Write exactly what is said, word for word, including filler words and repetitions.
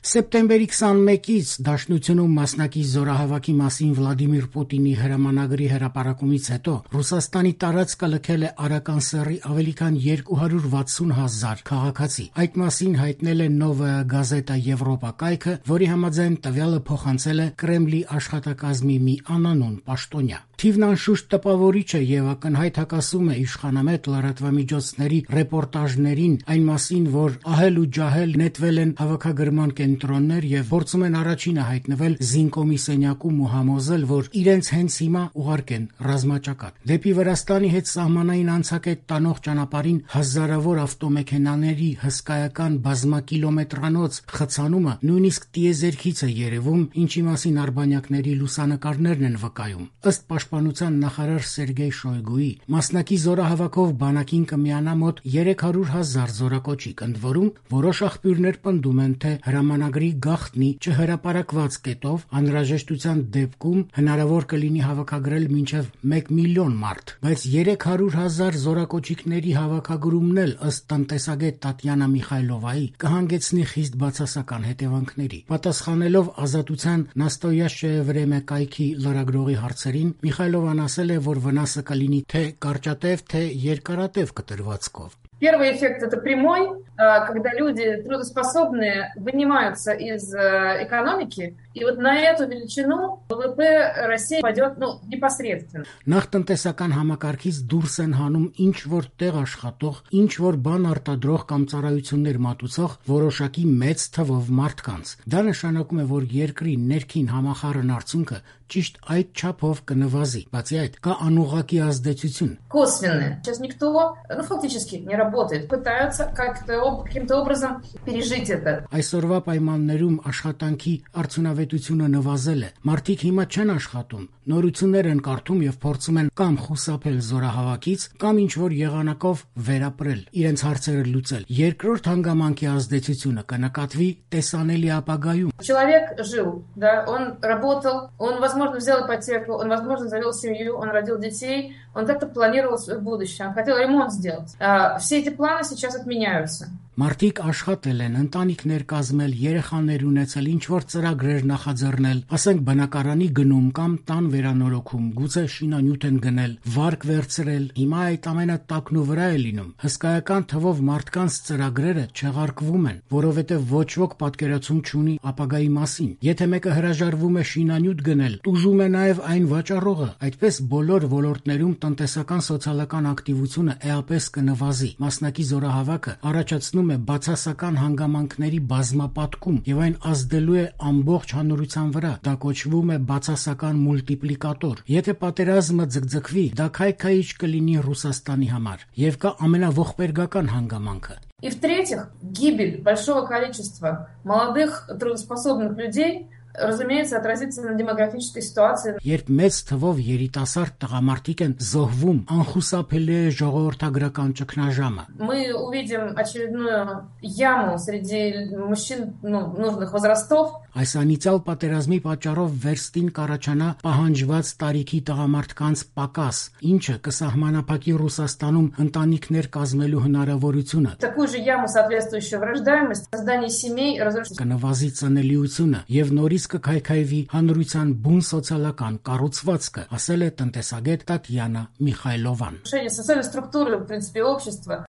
Սեպտեմբերի քսանմեկից Դաշնությունում մասնակից զորահավաքի մասին Վլադիմիր Պուտինի հրամանագրի հրապարակումից հետո Ռուսաստանի տարածքը լքել է Արական սեռի ավելի քան երկու հարյուր վաթսուն հազար քաղաքացի։ Այդ մասին հայտնել է Նովայա Գազետա Եվրոպա կայքը, որի համաձայն տվյալը փոխանցել է Կրեմլի աշխատակազմի մի անանուն պաշտոնյա։ Թիվն անշուշտ տպավորիչ է եւ ակնհայտ հակասում է իշխանամետ լրատվամիջոցների ռեպորտաժներին այն մասին, որ ահել ու ջահել նետվել են հավաքագրման կենտրոններ եւ փորձում են առաջինը հայտնվել Զինկոմի սենյակում ու համոզել, որ իրենց հենց հիմա ուղարկեն ռազմաճակատ։ Դեպի Վրաստանի հետ սահմանային անցակետ տանող ճանապարհին հազարավոր ավտոմեքենաների հսկայական բազմակիլոմետրանոց խցանումը նույնիսկ տիեզերքից է երևում, ինչի մասին արբանյակների լուսանկարներն են վկայում։ Ըստ պաշտպանության նախարար Սերգեյ Շոյգուի, մասնակի զորահավաքով բանակին կմիանա մոտ երեք հարյուր հազար զորակոչիկ, ընդ որում որոշ աղբյուրներ պնդում են, թե հրամանագրի գաղտնի չհրապարակված կետով անհրաժեշտության դեպքում հնարավոր կլինի հավաքագրել մինչև մեկ միլիոն մարդ, բայց երեք հարյուր հազար զորակոչիկների հավաքագրումն էլ ըստ տնտեսագետ Տատյանա Միխայլովայի կհանգեցնի խիստ բացասական հետևանքների։ Պատասխանելով Ազատության Նաստոյաշչեյե Վրեմե կայքի լրագրողի հարցերին, Միխայլովան ասել է, որ վնասը կլինի թե կարճատև, թե երկարատև կտրվածքով։ Первый эффект – это прямой, когда люди трудоспособные вынимаются из экономики, и вот на эту величину ВВП России пойдет ну, непосредственно. Նախ տնտեսական համակարգից դուրս են հանում ինչ որ տեղ աշխատող, ինչ որ բան արտադրող կամ ծառայություններ մատուցող որոշակի մեծ թվով մարդկանց։ Դա նշանակում է, որ երկրի ներքին համախառն արդյունքը ճիշտ այդ չափով կնվազի։ Բացի այդ, կա անուղղակի ազդեցություն։ Косвенное. Сейчас никто, ну фактически не работает, пытаются как-то каким-то образом пережить это. Այսօրվա պայմաններում աշխատանքի արդյունավետությունը նվազել է։ Մարդիկ հիմա չեն աշխատում, նորություններ են կարդում եւ փորձում են կամ խուսափել զորահավաքից, կամ ինչ որ եղանակով վերապրել, իրենց հարցերը луцել։ Երկրորդ հանգամանքի ազդեցությունը կնկատվի տեսանելի ապագայում։ Человек жил, да, он работал, он, возможно, взял ипотеку, он, возможно, завел семью, он родил детей, он как-то планировал свое будущее, он хотел ремонт сделать. А, все эти планы сейчас отменяются. Մարդիկ աշխատել են, ընտանիքներ կազմել, երեխաներ ունեցել, ինչ որ ծրագրեր նախաձեռնել, ասենք բնակարանի գնում կամ տան վերանորոգում, գուցե շինանյութ են գնել, վարկ վերցրել, հիմա այդ ամենը տակնու վրա է լինում։ Հսկայական թվով մարդկանց ծրագրերը չեղարկվում են, որովհետև ոչ ոք պատկերացում չունի ապագայի մասին։ Եթե մեկը հրաժարվում է շինանյութ գնել, տուժում է նաև այն վաճառողը, այդպես բոլոր ոլորտներում տնտեսական սոցիալական ակտիվությունը էապես կնվազի։ Մասնակի զորահավաքը առաջացնում է բացասական հանգամանքների բազմապատկում եւ այն ազդելու է ամբողջ հանրության վրա։ Դա կոչվում է բացասական մուլտիպլիկատոր։ Եթե պատերազմը ձգձգվի, դա քայքայիչ կլինի Ռուսաստանի համար եւ կա ամենաողբերգական հանգամանքը։ И в-третьих, гибель большого количества молодых трудоспособных людей, разумеется, отразится на демографической ситуации. Երբ մեծ թվով երիտասարդ տղամարդիկ են զոհվում, անխուսափելի է ժողովրդագրական ճգնաժամը։ Мы увидим очередную яму среди мужчин ну, нужных возрастов. Այս անիծյալ պատերազմի պատճառով վերստին կառաջանա պահանջված տարիքի տղամարդկանց պակաս, ինչը կսահմանափակի Ռուսաստանում ընտանիքներ կազմելու հնարավորությունը։ Такую же яму, соответствующую рождаемость, создание семей, разрушение. Կնվազի ծնելիությունը եւ նորից կքայքայվի հանրության բուն սոցիալական կառուցվածքը, ասել է տնտեսագետ Տատյանա Միխայլովան։ Социальной структуры, в принципе, общества.